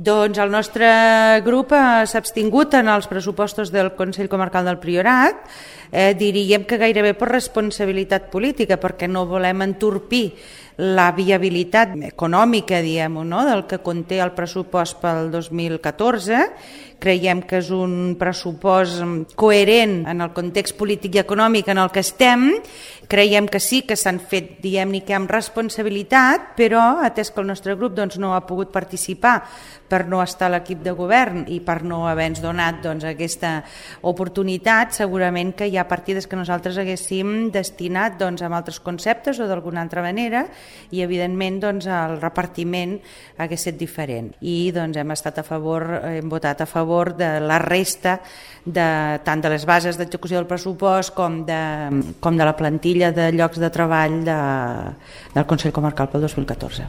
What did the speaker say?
Doncs el nostre grup s'ha abstingut en els pressupostos del Consell Comarcal del Priorat, diríem que gairebé per responsabilitat política, perquè no volem entorpir la viabilitat econòmica, diguem-ho, no?, del que conté el pressupost pel 2014. Creiem que és un pressupost coherent en el context polític i econòmic en el que estem. Creiem que sí que s'han fet, diguem-ne, que amb responsabilitat, però atès que el nostre grup no ha pogut participar per no estar a l'equip de govern i per no haver-nos donat aquesta oportunitat, segurament que hi ha partides que nosaltres haguéssim destinat amb altres conceptes o d'alguna altra manera, i evidentment el repartiment hagués estat diferent. I hem votat a favor de la resta tant de les bases d'execució del pressupost com de la plantilla de llocs de treball del Consell Comarcal pel 2014.